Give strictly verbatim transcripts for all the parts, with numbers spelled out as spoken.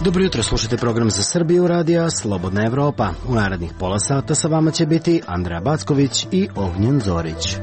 Dobro jutro, slušajte program za Srbiju radija Slobodna Evropa. U narednih pola sata sa vama će biti Andreja Backović i Ognjen Zorić.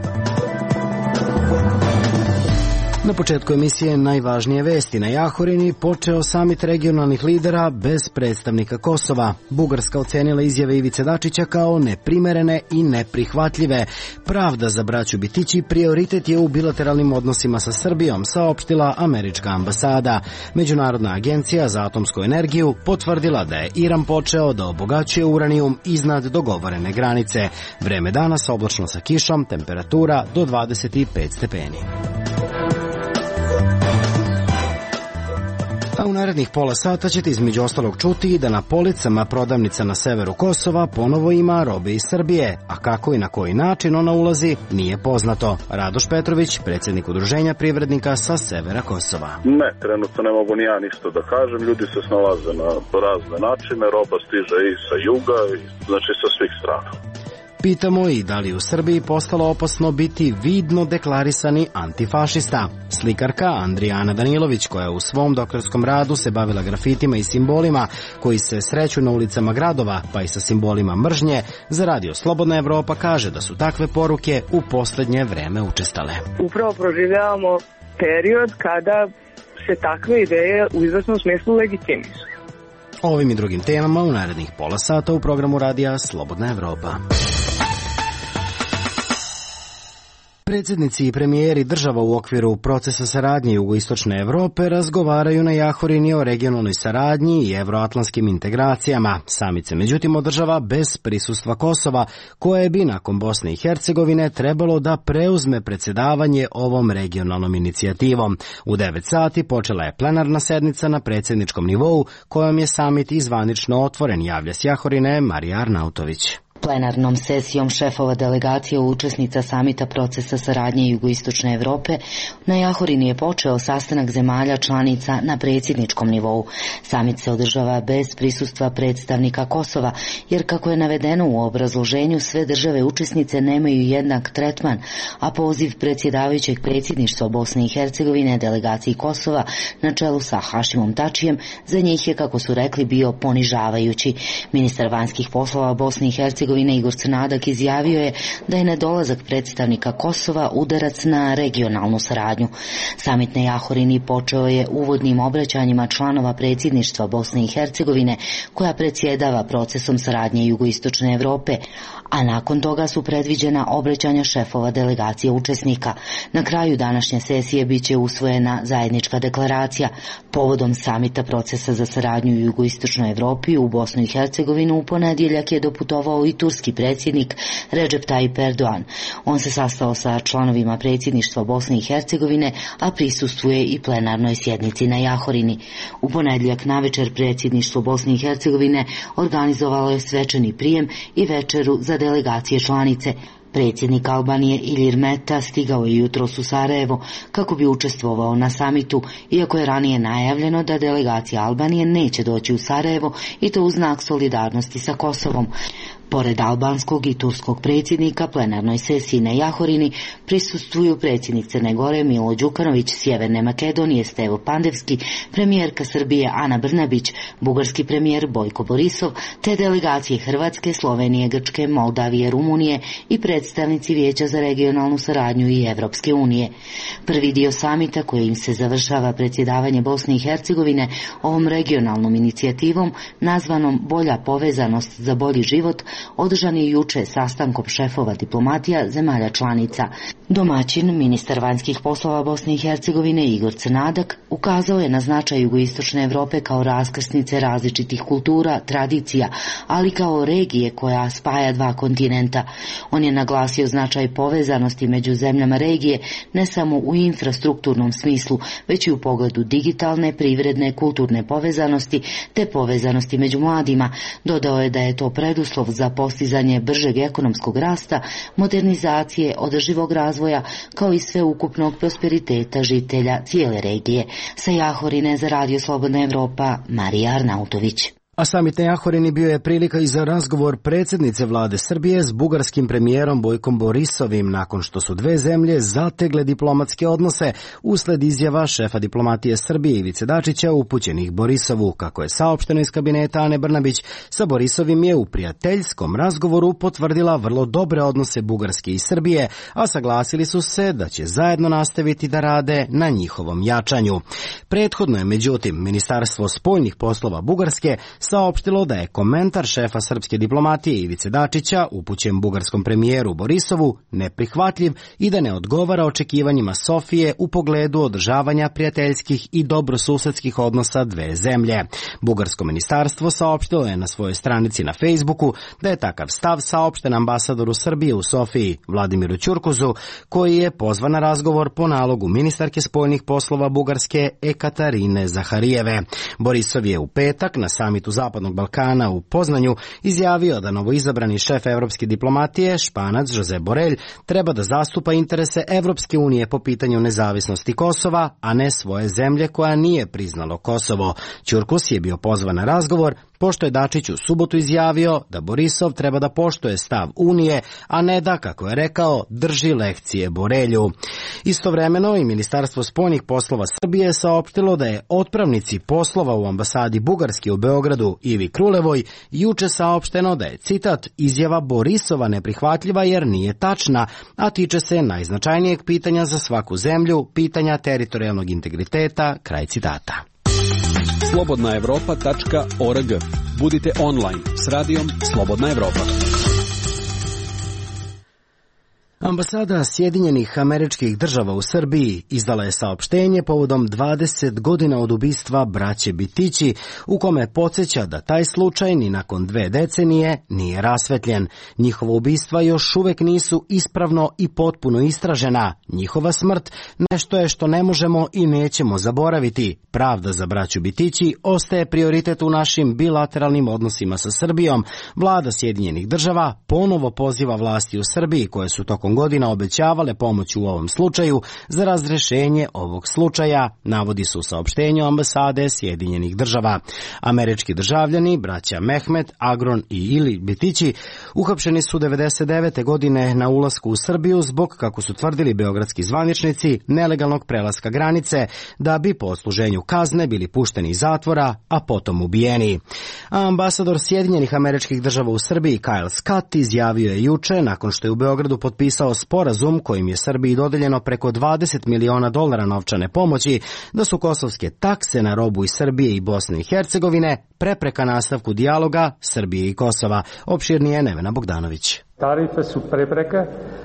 Na početku emisije najvažnije vesti. Na Jahorini počeo samit regionalnih lidera bez predstavnika Kosova. Bugarska ocenila izjave Ivice Dačića kao neprimerene i neprihvatljive. Pravda za braću Bitići prioritet je u bilateralnim odnosima sa Srbijom, saopštila američka ambasada. Međunarodna agencija za atomsku energiju potvrdila da je Iran počeo da obogaćuje uranijum iznad dogovorene granice. Vreme danas oblačno sa kišom, temperatura do dvadeset pet stepeni. A u narednih pola sata ćete između ostalog čuti da na policama prodavnica na severu Kosova ponovo ima robe iz Srbije, a kako i na koji način ona ulazi nije poznato. Radoš Petrović, predsjednik udruženja privrednika sa severa Kosova. Ne, trenutno ne mogu ni ja ništa da kažem, ljudi se snalaze na razne načine, roba stiže i sa juga, znači sa svih strana. Pitamo i da li u Srbiji postalo opasno biti vidno deklarisani antifašista. Slikarka Andrijana Danilović, koja u svom doktorskom radu se bavila grafitima i simbolima koji se sreću na ulicama gradova, pa i sa simbolima mržnje, za radio Slobodna Evropa kaže da su takve poruke u poslednje vreme učestale. Upravo proživljavamo period kada se takve ideje u izvesnom smislu legitimišu. O ovim i drugim temama u narednih pola sata u programu radija Slobodna Evropa. Predsjednici i premijeri država u okviru procesa saradnje jugoistočne Evrope razgovaraju na Jahorini o regionalnoj saradnji i evroatlantskim integracijama. Samit se međutim održava bez prisustva Kosova, koje bi nakon Bosne i Hercegovine trebalo da preuzme predsjedavanje ovom regionalnom inicijativom. U devet sati počela je plenarna sednica na predsjedničkom nivou, kojom je samit izvanično otvoren, javlja s Jahorine Marija Arnautović. Plenarnom sesijom šefova delegacije učesnica samita procesa saradnje jugoistočne Evrope na Jahorini je počeo sastanak zemalja članica na predsjedničkom nivou. Samit se održava bez prisustva predstavnika Kosova, jer kako je navedeno u obrazloženju, sve države učesnice nemaju jednak tretman, a poziv predsjedavajućeg predsjedništva Bosne i Hercegovine delegaciji Kosova na čelu sa Hašimom Tačijem za njih je, kako su rekli, bio ponižavajući. Ministar vanjskih poslova Bosne i Hercegovine Igor Crnadak izjavio je da je nedolazak predstavnika Kosova udarac na regionalnu saradnju. Samit na Jahorini počeo je uvodnim obraćanjima članova predsjedništva Bosne i Hercegovine, koja predsjedava procesom saradnje jugoistočne Evrope, a nakon toga su predviđena obraćanja šefova delegacije učesnika. Na kraju današnje sesije biće usvojena zajednička deklaracija. Povodom samita procesa za saradnju u jugoistočnoj Evropi u Bosnu i Hercegovinu u ponedjeljak je doputovao i turski predsjednik Recep Tayyip Erdogan. On se sastao sa članovima predsjedništva Bosne i Hercegovine, a prisustvuje i plenarnoj sjednici na Jahorini. U ponedjeljak navečer predsjedništvo Bosne i Hercegovine organizovalo je svečani prijem i večeru za delegacije članice. Predsjednik Albanije Ilir Meta stigao je jutros u Sarajevo kako bi učestvovao na samitu, iako je ranije najavljeno da delegacija Albanije neće doći u Sarajevo, i to u znak solidarnosti sa Kosovom. Pored albanskog i turskog predsjednika, plenarnoj sesiji na Jahorini prisustvuju predsjednik Crne Gore Milo Đukanović, Sjeverne Makedonije Stevo Pandevski, premijerka Srbije Ana Brnabić, bugarski premijer Bojko Borisov, te delegacije Hrvatske, Slovenije, Grčke, Moldavije, Rumunije i predstavnici Vijeća za regionalnu saradnju i Evropske unije. Prvi dio samita, kojim se završava predsjedavanje Bosne i Hercegovine ovom regionalnom inicijativom, nazvanom Bolja povezanost za bolji život, održan je juče sastankom šefova diplomatija zemalja članica. Domaćin, ministar vanjskih poslova Bosne i Hercegovine Igor Crnadak, ukazao je na značaj jugoistočne Evrope kao raskrsnice različitih kultura, tradicija, ali kao regije koja spaja dva kontinenta. On je naglasio značaj povezanosti među zemljama regije ne samo u infrastrukturnom smislu, već i u pogledu digitalne, privredne, kulturne povezanosti te povezanosti među mladima. Dodao je da je to preduslov za postizanje bržeg ekonomskog rasta, modernizacije, održivog razvoja, kao i sveukupnog prosperiteta žitelja cijele regije. Sa Jahorine za radio Slobodna Evropa, Marija Arnautović. A samit na Jahorini bio je prilika i za razgovor predsjednice vlade Srbije s bugarskim premijerom Bojkom Borisovim nakon što su dve zemlje zategle diplomatske odnose usled izjava šefa diplomatije Srbije Ivice Dačića upućenih Borisovu. Kako je saopšteno iz kabineta Ane Brnabić, sa Borisovim je u prijateljskom razgovoru potvrdila vrlo dobre odnose Bugarske i Srbije, a saglasili su se da će zajedno nastaviti da rade na njihovom jačanju. Prethodno je, međutim, Ministarstvo spoljnih poslova Bugarske saopštilo da je komentar šefa srpske diplomatije Ivice Dačića upućen bugarskom premijeru Borisovu neprihvatljiv i da ne odgovara očekivanjima Sofije u pogledu održavanja prijateljskih i dobrosusedskih odnosa dve zemlje. Bugarsko ministarstvo saopštilo je na svojoj stranici na Facebooku da je takav stav saopšten ambasadoru Srbije u Sofiji Vladimiru Ćurkuzu, koji je pozvan na razgovor po nalogu ministarke spoljnih poslova Bugarske Ekaterine Zaharijeve. Borisov je u petak na samitu Zapadnog Balkana u Poznanju izjavio da novoizabrani šef evropske diplomatije, Španac Josep Borrell, treba da zastupa interese Evropske unije po pitanju nezavisnosti Kosova, a ne svoje zemlje koja nije priznalo Kosovo. Ćurkus je bio pozvan na razgovor, pošto je Dačić u subotu izjavio da Borisov treba da poštuje stav Unije, a ne da, kako je rekao, drži lekcije Borelju. Istovremeno i Ministarstvo spoljnih poslova Srbije saopštilo da je otpravnici poslova u ambasadi Bugarske u Beogradu Ivi Krulevoj juče saopšteno da je, citat, izjava Borisova neprihvatljiva jer nije tačna, a tiče se najznačajnijeg pitanja za svaku zemlju, pitanja teritorijalnog integriteta, kraj citata. slobodna evropa tačka org. Budite online s radijom Slobodna Evropa. Ambasada Sjedinjenih Američkih Država u Srbiji izdala je saopštenje povodom dvadeset godina od ubistva braće Bitići, u kome podsjeća da taj slučaj ni nakon dve decenije nije rasvetljen. Njihova ubistva još uvek nisu ispravno i potpuno istražena. Njihova smrt nešto je što ne možemo i nećemo zaboraviti. Pravda za braću Bitići ostaje prioritet u našim bilateralnim odnosima sa Srbijom. Vlada Sjedinjenih Država ponovo poziva vlasti u Srbiji, koje su tokom godina obećavale pomoć u ovom slučaju, za razrešenje ovog slučaja, navodi se u saopštenju ambasade Sjedinjenih Država. Američki državljani, braća Mehmet, Agron i Ili Bitići, uhapšeni su devedeset devete godine na ulasku u Srbiju zbog, kako su tvrdili beogradski zvaničnici, nelegalnog prelaska granice, da bi po odsluženju kazne bili pušteni iz zatvora, a potom ubijeni. A ambasador Sjedinjenih Američkih Država u Srbiji Kyle Scott izjavio je juče, nakon što je u Beogradu potpisao sporazum kojim je Srbiji dodeljeno preko dvadeset miliona dolara novčane pomoći, da su kosovske takse na robu iz Srbije i Bosne i Hercegovine prepreka nastavku dijaloga Srbije i Kosova. Opširnije Nevena Bogdanović. Tarife su prepreke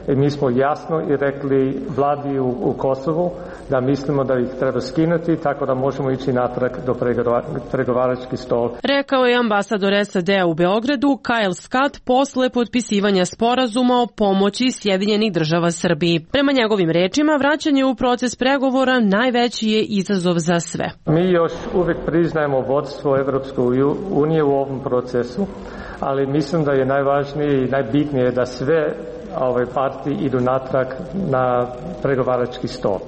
i mi smo jasno i rekli vladi u, u Kosovu da mislimo da ih treba skinuti, tako da možemo ići natrag do pregovarački stol. Rekao je ambasador S A D-a u Beogradu Kyle Scott posle potpisivanja sporazuma o pomoći Sjedinjenih Država Srbiji. Prema njegovim rečima, vraćanje u proces pregovora najveći je izazov za sve. Mi još uvijek priznajemo vodstvo Evropske unije u ovom procesu, ali mislim da je najvažnije i najbitnije da sve ove partije idu natrag na pregovarački stol.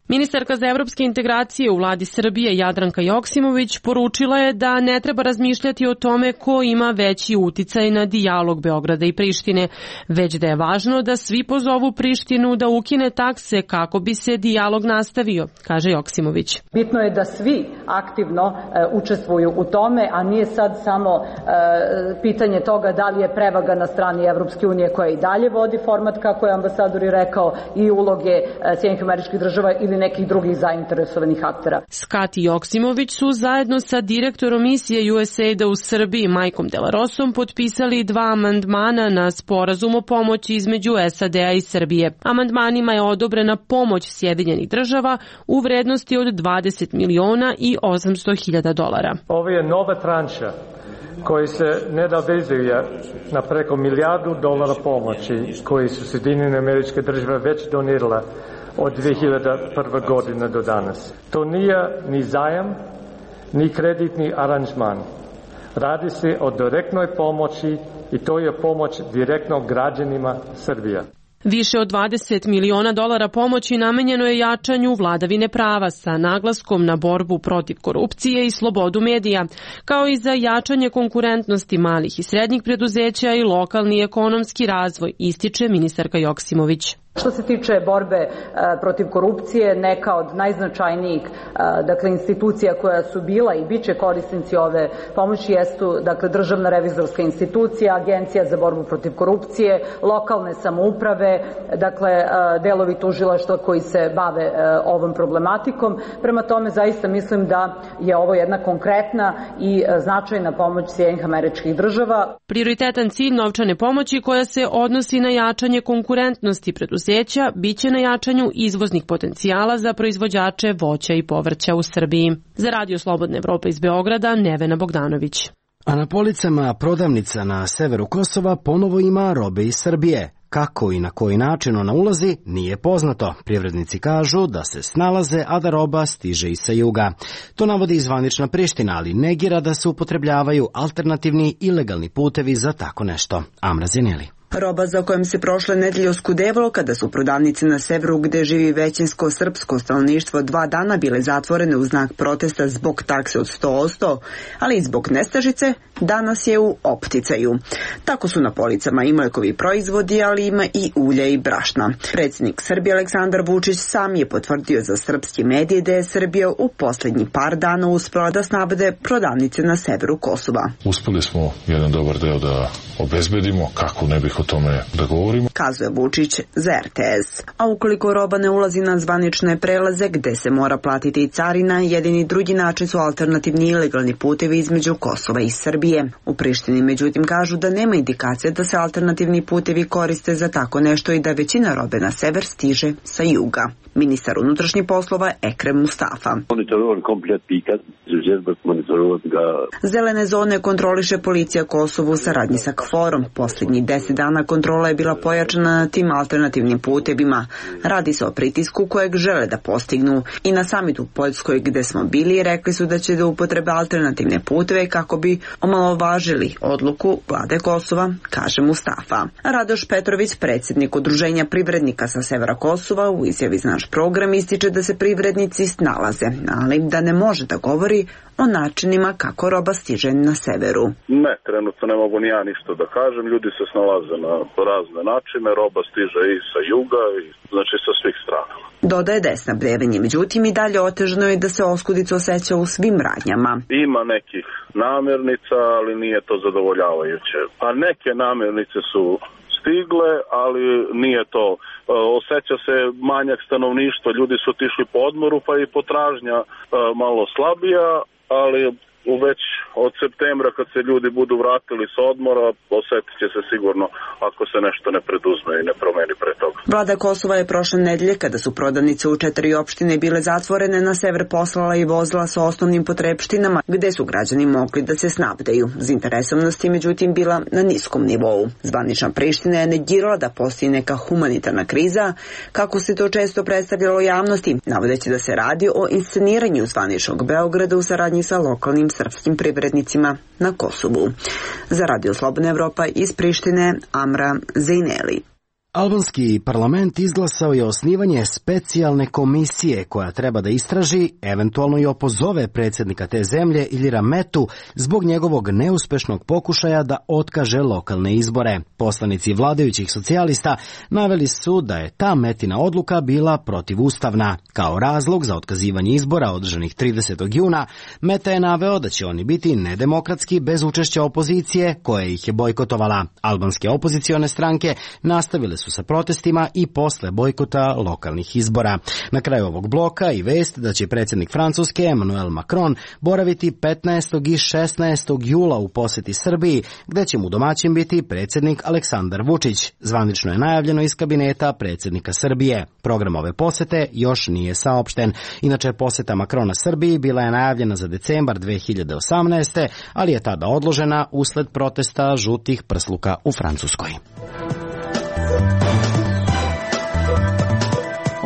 Ministarka za evropske integracije u vladi Srbije Jadranka Joksimović poručila je da ne treba razmišljati o tome ko ima veći uticaj na dijalog Beograda i Prištine, već da je važno da svi pozovu Prištinu da ukine takse kako bi se dijalog nastavio, kaže Joksimović. Bitno je da svi aktivno e, učestvuju u tome, a nije sad samo e, pitanje toga da li je prevaga na strani Evropske unije koja i dalje vodi format, kako je ambasador i rekao, i uloge e, Sjedinjenih Američkih Država ili nekih drugih zainteresovanih aktera. Scott i Joksimović su zajedno sa direktorom misije U S A I D-a u Srbiji Majkom Delarosom potpisali dva amandmana na sporazum o pomoći između S A D-a i Srbije. Amandmanima je odobrena pomoć Sjedinjenih Država u vrednosti od dvadeset miliona i osamsto hiljada dolara. Ovo je nova tranša koji se nadovezuje na preko milijardu dolara pomoći koji su Sjedinjene Američke Države već donirale od dve hiljade prve. godine do danas. To nije ni zajam, ni kreditni aranžman. Radi se o direktnoj pomoći i to je pomoć direktno građanima Srbije. Više od dvadeset miliona dolara pomoći namenjeno je jačanju vladavine prava sa naglaskom na borbu protiv korupcije i slobodu medija, kao i za jačanje konkurentnosti malih i srednjih preduzeća i lokalni ekonomski razvoj, ističe ministarka Joksimović. Što se tiče borbe e, protiv korupcije, neka od najznačajnijih e, dakle, institucija koja su bila i bit će korisnici ove pomoći jesu dakle, Državna revizorska institucija, Agencija za borbu protiv korupcije, lokalne samouprave, dakle, e, delovi tužilaštva koji se bave e, ovom problematikom. Prema tome, zaista mislim da je ovo jedna konkretna i e, značajna pomoć Sjedinjenih Američkih Država. Prioritetan cilj novčane pomoći koja se odnosi na jačanje konkurentnosti preduzeća biće na jačanju izvoznih potencijala za proizvođače voća i povrća u Srbiji. Za Radio Slobodna Evropa iz Beograda, Nevena Bogdanović. A na policama prodavnica na severu Kosova ponovo ima robe iz Srbije. Kako i na koji način ona ulazi, nije poznato. Privrednici kažu da se snalaze, a da roba stiže i sa juga. To navodi zvanična Priština, ali negira da se upotrebljavaju alternativni ilegalni putevi za tako nešto. Amra Zeneli. Roba za kojom se prošle nedelje oskudevalo kada su prodavnice na severu gde živi većinsko srpsko stanovništvo dva dana bile zatvorene u znak protesta zbog takse od sto posto, ali i zbog nestašice, danas je u opticaju. Tako su na policama i mlekovi proizvodi, ali ima i ulja i brašna. Predsjednik Srbije Aleksandar Vučić sam je potvrdio za srpski medije da je Srbija u poslednji par dana uspela da snabde prodavnice na severu Kosova. Uspeli smo jedan dobar deo da obezbedimo, kako ne bih o tome da govorimo, kazuje Vučić za er te es. A ukoliko roba ne ulazi na zvanične prelaze gde se mora platiti i carina, jedini drugi način su alternativni ilegalni putevi između Kosova i Srbije. U Prištini međutim kažu da nema indikacije da se alternativni putevi koriste za tako nešto i da većina robe na sever stiže sa juga. Ministar unutrašnjih poslova Ekrem Mustafa. Zelene zone kontroliše policija Kosovo u saradnji sa KFOR-om. Posljednjih deset dana kontrola je bila pojačana na tim alternativnim putevima. Radi se o pritisku kojeg žele da postignu. I na samitu u Poljskoj gde smo bili rekli su da će da upotrebe alternativne puteve kako bi omalovažili odluku vlade Kosova, kaže Mustafa. Radoš Petrović, predsjednik Udruženja privrednika sa severa Kosova, u izjavi za naš program ističe da se privrednici snalaze, ali da ne može da govori o načinima kako roba stiže na severu. Ne, trenutno ne mogu ni ja ništa da kažem, ljudi se snalaze na razne načine, roba stiže i sa juga, i, znači sa svih strana. Dodaje da je snabdevanje, međutim i dalje otežano je da se oskudica osjeća u svim radnjama. Ima nekih namirnica, ali nije to zadovoljavajuće. Pa neke namirnice su stigle, ali nije to. Osjeća se manjak stanovništva, ljudi su otišli po odmoru, pa i potražnja malo slabija, ali već od septembra kad se ljudi budu vratili sa odmora, osjetit će se sigurno ako se nešto ne preduzme i ne promeni pre toga. Vlada Kosova je prošle nedelje, kada su prodavnice u četiri opštine bile zatvorene, na sever poslala i vozila sa osnovnim potrepštinama, gde su građani mogli da se snabdeju. Zainteresovanost je međutim bila na niskom nivou. Zvanična Priština je negirala da postoji neka humanitarna kriza, kako se to često predstavljalo javnosti, navodeći da se radi o insceniranju zvaničnog Beograda u saradnji sa lokalnim srpskim privrednicima na Kosovu. Za Radio Slobodna Evropa iz Prištine, Amra Zejneli. Albanski parlament izglasao je osnivanje specijalne komisije koja treba da istraži, eventualno i opozove predsjednika te zemlje Iljira Metu zbog njegovog neuspešnog pokušaja da otkaže lokalne izbore. Poslanici vladajućih socijalista naveli su da je ta Metina odluka bila protivustavna. Kao razlog za otkazivanje izbora održanih tridesetog juna, Meta je naveo da će oni biti nedemokratski bez učešća opozicije koja ih je bojkotovala. Albanske opozicione stranke nastavile su sa protestima i posle bojkota lokalnih izbora. Na kraju ovog bloka i vest da će predsjednik Francuske Emmanuel Macron boraviti petnaestog i šesnaestog jula u poseti Srbiji, gde će mu domaćin biti predsjednik Aleksandar Vučić. Zvanično je najavljeno iz kabineta predsjednika Srbije. Program ove posete još nije saopšten. Inače, poseta Macrona Srbiji bila je najavljena za decembar dve hiljade osamnaeste. ali je tada odložena usled protesta žutih prsluka u Francuskoj.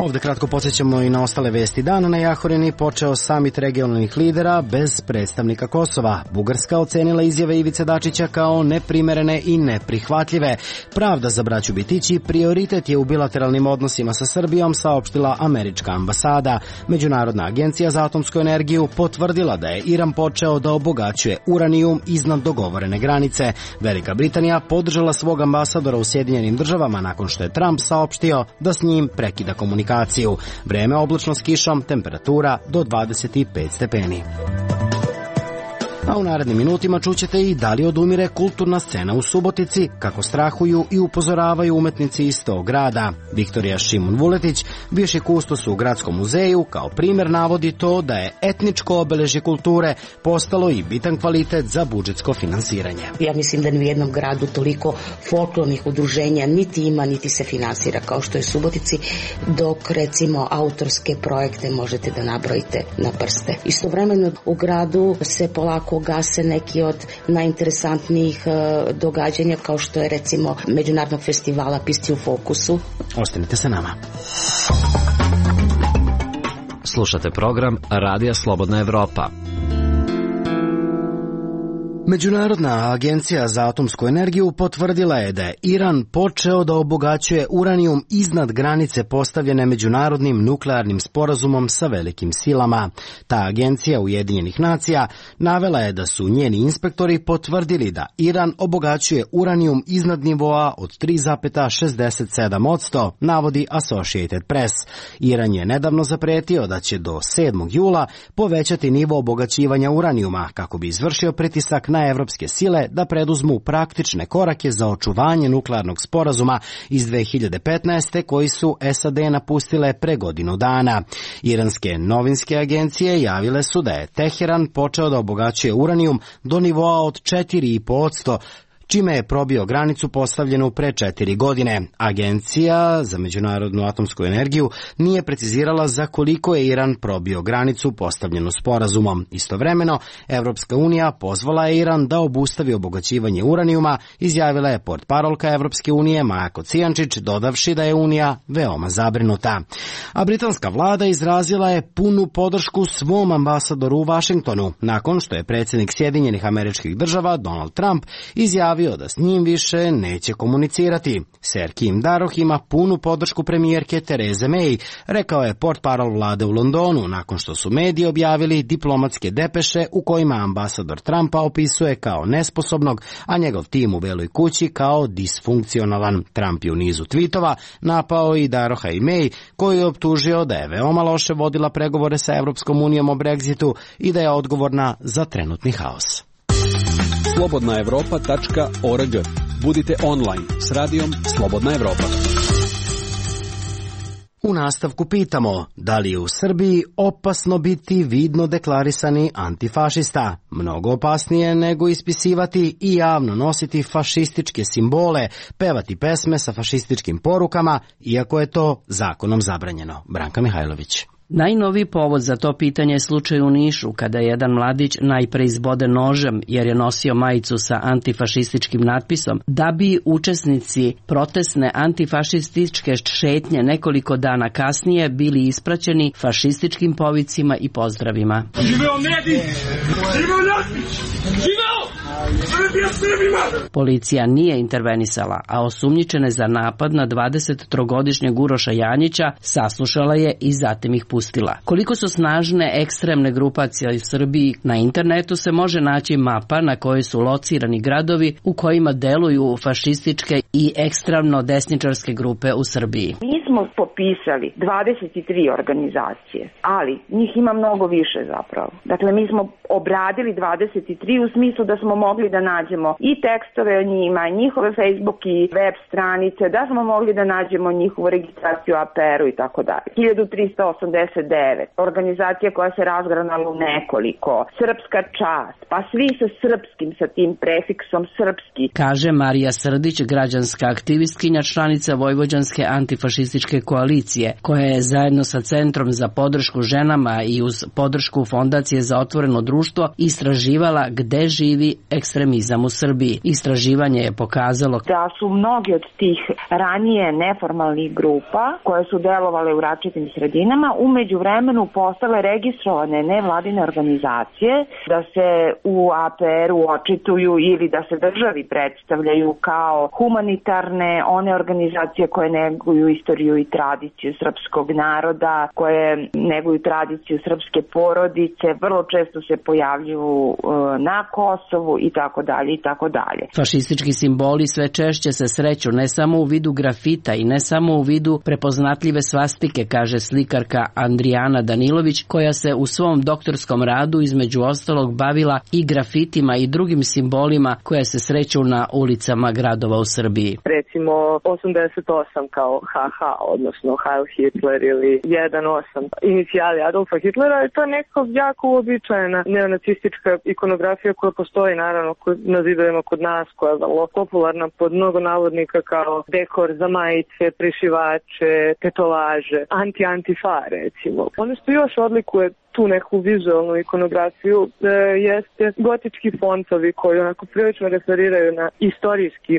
Ovde kratko podsjećamo i na ostale vesti dana. Na Jahorini počeo samit regionalnih lidera bez predstavnika Kosova. Bugarska ocenila izjave Ivice Dačića kao neprimerene i neprihvatljive. Pravda za braću Bitići prioritet je u bilateralnim odnosima sa Srbijom, saopštila američka ambasada. Međunarodna agencija za atomsku energiju potvrdila da je Iran počeo da obogaćuje uranijum iznad dogovorene granice. Velika Britanija podržala svog ambasadora u Sjedinjenim državama nakon što je Trump saopštio da s njim prekida komunikaciju. Vreme oblačno s kišom, temperatura do dvadeset pet stepeni. A u narednim minutima čućete i da li odumire kulturna scena u Subotici, kako strahuju i upozoravaju umetnici iz tog grada. Viktorija Šimun Vuletić, bivši kustos u Gradskom muzeju, kao primer navodi to da je etničko obeležje kulture postalo i bitan kvalitet za budžetsko finansiranje. Ja mislim da ni u jednom gradu toliko folklornih udruženja niti ima, niti se finansira kao što je Subotici, dok recimo autorske projekte možete da nabrojite na prste. Istovremeno u gradu se polako gase neki od najinteresantnijih uh, događanja, kao što je recimo Međunarodnog festivala Pisci u fokusu. Ostanite sa nama. Slušate program Radija Slobodna Evropa. Međunarodna agencija za atomsku energiju potvrdila je da je Iran počeo da obogaćuje uranijum iznad granice postavljene međunarodnim nuklearnim sporazumom sa velikim silama. Ta agencija Ujedinjenih nacija navela je da su njeni inspektori potvrdili da Iran obogaćuje uranijum iznad nivoa od tri zarez šezdeset sedam posto, navodi Associated Press. Iran je nedavno zapretio da će do sedmog jula povećati nivo obogaćivanja uranijuma kako bi izvršio pritisak na evropske sile da preduzmu praktične korake za očuvanje nuklearnog sporazuma iz dve hiljade petnaeste koji su S A D napustile pre godinu dana. Iranske novinske agencije javile su da je Teheran počeo da obogaćuje uranijum do nivoa od četiri zarez pet posto, čime je probio granicu postavljenu pre četiri godine. Agencija za međunarodnu atomsku energiju nije precizirala za koliko je Iran probio granicu postavljenu sporazumom. Istovremeno, Evropska unija pozvala je Iran da obustavi obogaćivanje uranijuma, izjavila je portparolka Evropske unije Maja Kocijančić, dodavši da je Unija veoma zabrinuta. A britanska vlada izrazila je punu podršku svom ambasadoru u Vašingtonu, nakon što je predsjednik Sjedinjenih Američkih Država Donald Trump izjavio da s njim više neće komunicirati. Ser Kim Daroh ima punu podršku premijerke Tereze May, rekao je portparol vlade u Londonu, nakon što su mediji objavili diplomatske depeše u kojima ambasador Trumpa opisuje kao nesposobnog, a njegov tim u Beloj kući kao disfunkcionalan. Trump je u nizu tvitova napao i Daroha i May, koji je optužio da je veoma loše vodila pregovore sa Evropskom unijom o Brexitu i da je odgovorna za trenutni haos. slobodna evropa tačka org. Budite online s radijom Slobodna Evropa. U nastavku pitamo, da li je u Srbiji opasno biti vidno deklarisani antifašista? Mnogo opasnije nego ispisivati i javno nositi fašističke simbole, pevati pesme sa fašističkim porukama, iako je to zakonom zabranjeno. Branka Mihajlović. Najnoviji povod za to pitanje je slučaj u Nišu, kada je jedan mladić najpre izboden nožem jer je nosio majicu sa antifašističkim natpisom, da bi učesnici protestne antifašističke šetnje nekoliko dana kasnije bili ispraćeni fašističkim povicima i pozdravima. Živeo Medić! Živeo Natpić! Živeo! Srbija Srbima! Policija nije intervenisala, a osumnjičene za napad na dvadesettrogodišnjeg Uroša Janjića saslušala je i zatim ih pustila. Koliko su snažne ekstremne grupacije u Srbiji, na internetu se može naći mapa na kojoj su locirani gradovi u kojima deluju fašističke i ekstremno desničarske grupe u Srbiji. Mi smo popisali dvadeset tri organizacije, ali njih ima mnogo više zapravo. Dakle, mi smo obradili dvadeset tri u smislu da smo mogli da nađemo i tekstove o njima, njihove Facebook i web stranice, da smo mogli da nađemo njihovu registraciju A P R-u i tako dalje. hiljadu trista osamdeset sedamdeset devet, organizacija koja se razgranala u nekoliko, Srpska čast, pa svi sa srpskim, sa tim prefiksom srpski. Kaže Marija Srdić, građanska aktivistkinja, članica Vojvođanske antifašističke koalicije, koja je zajedno sa Centrom za podršku ženama i uz podršku Fondacije za otvoreno društvo istraživala gde živi ekstremizam u Srbiji. Istraživanje je pokazalo da su mnogi od tih ranije neformalnih grupa koje su delovale u različitim sredinama umeđu vremenu postale registrovane nevladine organizacije, da se u A P R-u očituju ili da se državi predstavljaju kao humanitarne, one organizacije koje neguju istoriju i tradiciju srpskog naroda, koje neguju tradiciju srpske porodice, vrlo često se pojavljuju na Kosovu i tako dalje i tako dalje. Fašistički simboli sve češće se sreću ne samo u vidu grafita i ne samo u vidu prepoznatljive svastike, kaže slikarka Andrijana Danilović, koja se u svom doktorskom radu između ostalog bavila i grafitima i drugim simbolima koje se sreću na ulicama gradova u Srbiji. Recimo osamdeset osam kao ha ha, odnosno Heil Hitler ili jedan osam, inicijali Adolfa Hitlera, je to nekako jako uobičajena neonacistička ikonografija koja postoji naravno na zidovima kod nas, koja je vrlo popularna pod mnogo navodnika kao dekor za majice, prišivače, tetovaže, anti-antifa recimo. Ono što još odlikuje tu neku vizualnu ikonografiju e, jeste gotički fontovi koji onako prilično referiraju na istorijski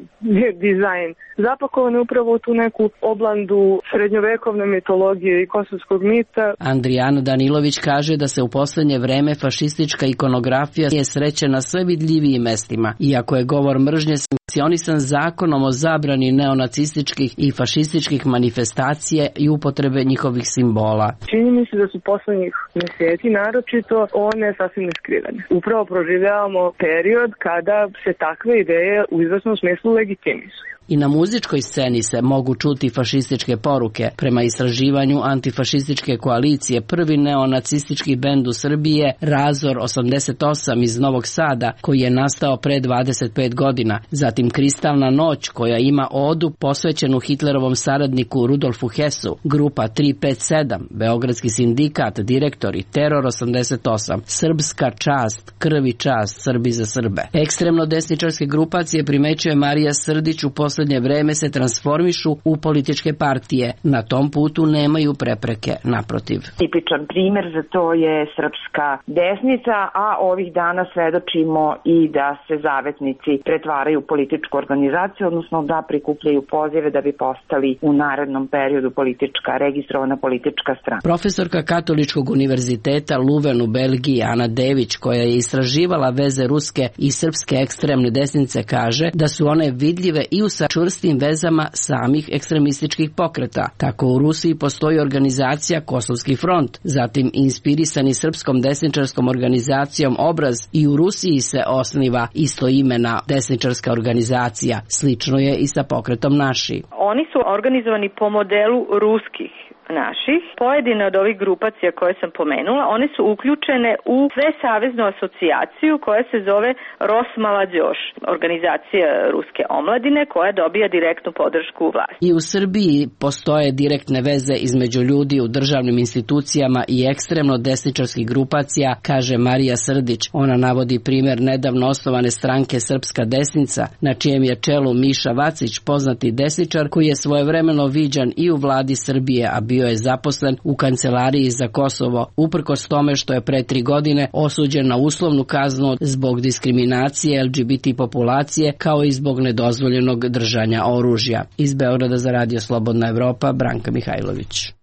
dizajn, zapakovane upravo u tu neku oblandu srednjovekovne mitologije i kosovskog mita. Andrijana Danilović kaže da se u poslednje vreme fašistička ikonografija je sreće na sve vidljivijim mestima, iako je govor mržnje sankcionisan zakonom o zabrani neonacističkih i fašističkih manifestacije i upotrebe njihovih simbola. Čini mi se da su poslednjih mjeseci naročito one sasvim neskrivene. Upravo proživljavamo period kada se takve ideje u izvesnom smislu legitimizuju. I na muzičkoj sceni se mogu čuti fašističke poruke. Prema istraživanju antifašističke koalicije, prvi neonacistički bend u Srbiji je Razor osamdeset osam iz Novog Sada, koji je nastao pre dvadeset pet godina. Zatim Kristalna noć, koja ima odu posvećenu Hitlerovom saradniku Rudolfu Hesu, grupa tri pet sedam, Beogradski sindikat, direktori, Teror osamdeset osam, Srpska čast, Krv i čast, Srbi za Srbe. Ekstremno desničarske grupacije, primećuje Marija Srdić, u poslednje vreme se transformišu u političke partije. Na tom putu nemaju prepreke, naprotiv. Tipičan primer za to je srpska desnica, a ovih dana svedočimo i da se zavetnici pretvaraju u političku organizaciju, odnosno da prikupljaju pozive da bi postali u narednom periodu politička, registrovana politička strana. Profesorka Katoličkog univerziteta Luven u Belgiji, Ana Dević, koja je istraživala veze ruske i srpske ekstremne desnice, kaže da su one vidljive i u sa čvrstim vezama samih ekstremističkih pokreta. Tako u Rusiji postoji organizacija Kosovski front, zatim inspirisani srpskom desničarskom organizacijom Obraz, i u Rusiji se osniva istoimena desničarska organizacija. Slično je i sa pokretom Naši. Oni su organizovani po modelu ruskih naših. Pojedine od ovih grupacija koje sam pomenula, one su uključene u svesaveznu asocijaciju koja se zove Rosmalađoš, organizacija ruske omladine koja dobija direktnu podršku u vlasti. I u Srbiji postoje direktne veze između ljudi u državnim institucijama i ekstremno desničarskih grupacija, kaže Marija Srdić. Ona navodi primjer nedavno osnovane stranke Srpska desnica, na čijem je čelu Miša Vacić, poznati desničar koji je svojevremeno viđan i u vladi Srbije, a bio je zaposlen u kancelariji za Kosovo, uprkos tome što je pre tri godine osuđen na uslovnu kaznu zbog diskriminacije L G B T populacije, kao i zbog nedozvoljenog držanja oružja. Iz Beograda za Radio Slobodna Evropa, Branka Mihajlović.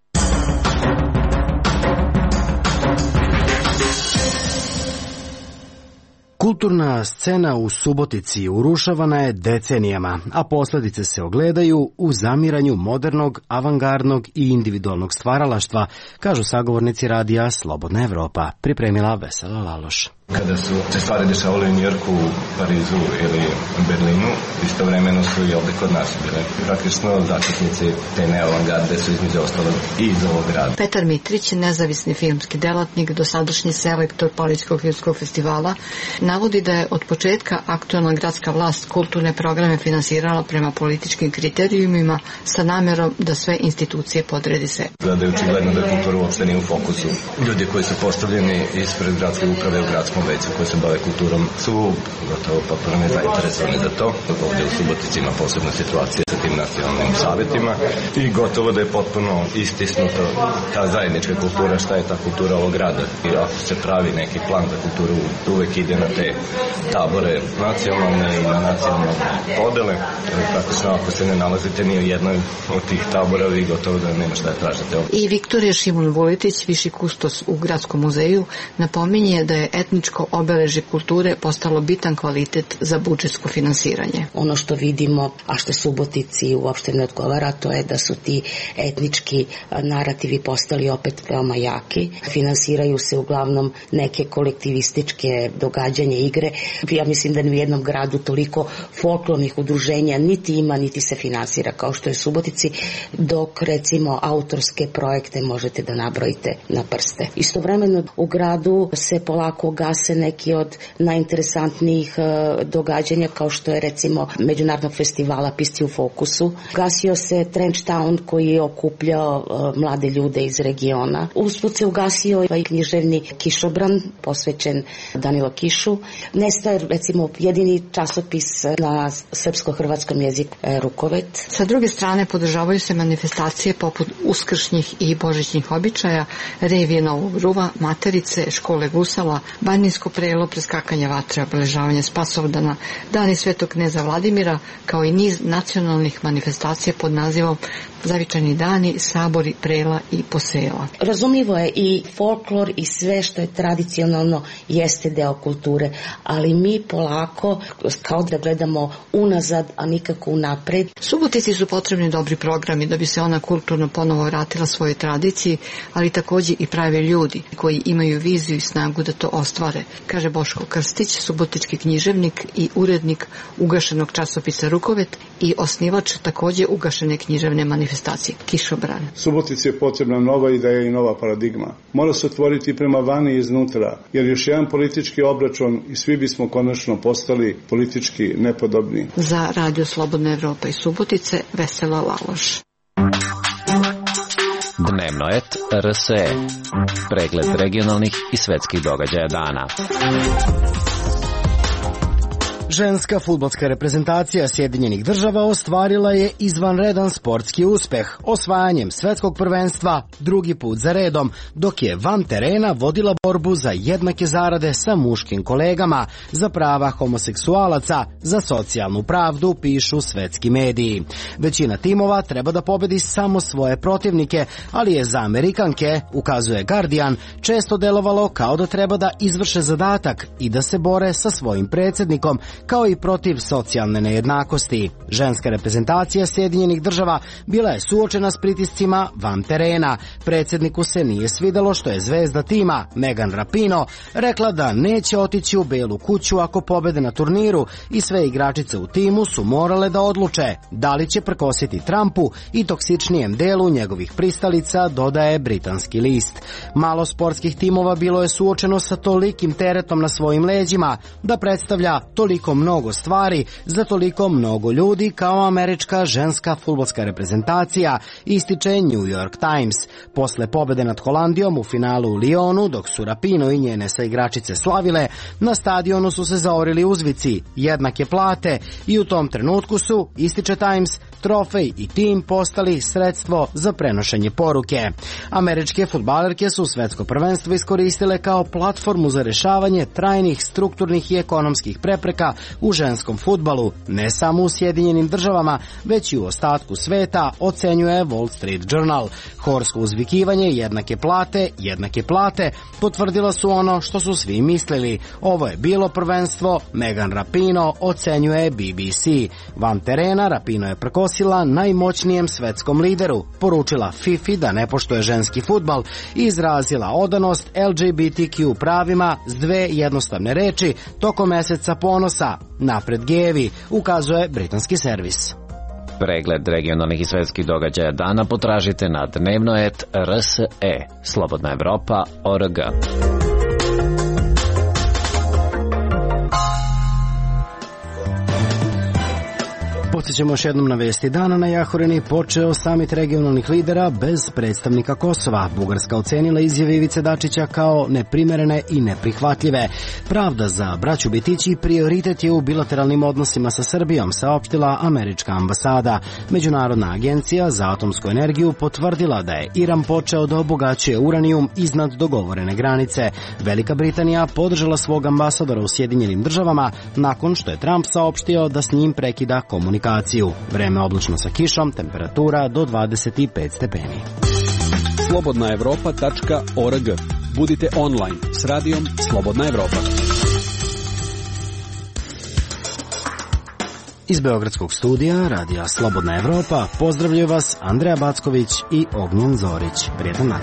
Kulturna scena u Subotici urušavana je decenijama, a posljedice se ogledaju u zamiranju modernog, avangardnog i individualnog stvaralaštva, kažu sagovornici radija Slobodna Evropa, pripremila Vesela Laloš. Kada su se stvari dešavale u Njujorku, Parizu ili Berlinu, istovremeno su i ovde kod nas bile. Praktično začetnici te neoavangarde su između ostalog i iz ovog grada. Petar Mitrić, nezavisni filmski delatnik, dosadašnji selektor Palićkog filmskog festivala, navodi da je od početka aktuelna gradska vlast kulturne programe finansirala prema političkim kriterijumima sa namerom da sve institucije podredi se. Da je očigledno da kultura uopšte nije u fokusu. Ljudi koji su postavljeni ispred gradske uprave u gradskom veću koji se bave kulturom su gotovo potpuno nezainteresovani za to. Ovdje u Subotici ima posebna situacija sa tim nacionalnim savjetima i gotovo da je potpuno istisnuto ta zajednička kultura, šta je ta kultura ovog grada. I ako se pravi neki plan za kulturu, uvek ide na te tabore nacionalne i na nacionalne podele. Praktično ako se ne nalazite ni u jednoj od tih tabora, vi gotovo da nema šta da tražite. I Viktorija Šimun Vuletić, viši kustos u Gradskom muzeju, napominje da je etničko obeležje kulture postalo bitan kvalitet za budžetsko finansiranje. Ono što vidimo, a što Subotici uopšte ne odgovara, to je da su ti etnički narativi postali opet veoma jaki. Finansiraju se uglavnom neke kolektivističke događanja, igre. Ja mislim da ni u jednom gradu toliko folklornih udruženja niti ima, niti se finansira kao što je Subotici, dok recimo autorske projekte možete da nabrojite na prste. Istovremeno u gradu se polako gase neki od najinteresantnijih događanja kao što je recimo Međunarodnog festivala Pisti u fokusu. Gasio se Trench Town koji je okupljao mlade ljude iz regiona. Usput se ugasio i književni Kišobran posvećen Danilu Kišu. Nestaje recimo jedini časopis na srpsko-hrvatskom jeziku Rukovet. Sa druge strane podržavaju se manifestacije poput uskršnjih i božićnih običaja, revije Novog Ruva, Materice, škole Gusala, Banjinsko prelo, preskakanje vatre, obeležavanje Spasovdana, dani Svetog kneza Vladimira, kao i niz nacionalnih manifestacija pod nazivom Zavičajni dani, sabori, prela i posela. Razumljivo je i folklor i sve što je tradicionalno jeste deo kulture, ali mi polako kao da gledamo unazad, a nikako unapred. Subotici su potrebni dobri programi da bi se ona kulturno ponovo vratila svojoj tradiciji, ali takođe i pravi ljudi koji imaju viziju i snagu da to ostvare, kaže Boško Krstić, subotički književnik i urednik ugašenog časopisa Rukovet i osnivač takođe ugašene književne manifestacije Kišobran. Subotici je potrebna nova ideja i nova paradigma. Mora se otvoriti prema vani i iznutra, jer još jedan politički obračun i svi bismo konačno postali politički nepodobni. Za Radio Slobodna Evropa i Subotice, Vesela Laloš. Dnevno et R S E. Pregled regionalnih i svetskih događaja dana. Ženska fudbalska reprezentacija Sjedinjenih država ostvarila je izvanredan sportski uspeh osvajanjem svetskog prvenstva drugi put za redom, dok je van terena vodila borbu za jednake zarade sa muškim kolegama, za prava homoseksualaca, za socijalnu pravdu, pišu svetski mediji. Većina timova treba da pobedi samo svoje protivnike, ali je za Amerikanke, ukazuje Guardian, često delovalo kao da treba da izvrše zadatak i da se bore sa svojim predsjednikom, kao i protiv socijalne nejednakosti. Ženska reprezentacija Sjedinjenih država bila je suočena s pritiscima van terena. Predsjedniku se nije svidelo što je zvezda tima, Megan Rapinoe, rekla da neće otići u Belu kuću ako pobede na turniru i sve igračice u timu su morale da odluče da li će prkositi Trumpu i toksičnijem delu njegovih pristalica, dodaje britanski list. Malo sportskih timova bilo je suočeno sa tolikim teretom na svojim leđima da predstavlja toliko mnogo stvari za toliko mnogo ljudi kao američka ženska fudbalska reprezentacija, ističe New York Times. Posle pobede nad Holandijom u finalu u Lyonu, dok su Rapinoe i njene saigračice slavile, na stadionu su se zaorili uzvici jednake plate i u tom trenutku su, ističe Times, trofej i tim postali sredstvo za prenošenje poruke. Američke fudbalerke su svetsko prvenstvo iskoristile kao platformu za rešavanje trajnih strukturnih i ekonomskih prepreka u ženskom fudbalu, ne samo u Sjedinjenim državama, već i u ostatku sveta, ocenjuje Wall Street Journal. Horsko uzvikivanje jednake plate, jednake plate, potvrdila su ono što su svi mislili. Ovo je bilo prvenstvo, Megan Rapinoe ocenjuje B B C. Van terena Rapinoe je prkosila najmoćnijem svetskom lideru, poručila FIFA da ne poštuje ženski fudbal i izrazila odanost L G B T Q pravima s dve jednostavne reči tokom meseca ponosa. Napred gejevi, ukazuje britanski servis. Pregled regionalnih i svetskih događaja dana potražite na dnevnoet R S E, Slobodna Evropa, O R G. Podsjećamo još jednom na vesti dana. Na Jahorini počeo samit regionalnih lidera bez predstavnika Kosova. Bugarska ocenila izjave Ivice Dačića kao neprimerene i neprihvatljive. Pravda za braću Bitići prioritet je u bilateralnim odnosima sa Srbijom, saopštila američka ambasada. Međunarodna agencija za atomsku energiju potvrdila da je Iran počeo da obogaćuje uranijum iznad dogovorene granice. Velika Britanija podržala svog ambasadora u Sjedinjenim državama nakon što je Trump saopštio da s njim prekida komunikaciju. Vreme oblačno sa kišom, temperatura do dvadeset pet stepeni. slobodna evropa tačka o r g. Budite online s radijom Slobodna Evropa. Iz Beogradskog studija radija Slobodna Evropa pozdravljaju vas Andreja Backović i Ognjen Zorić. Prijetan dan.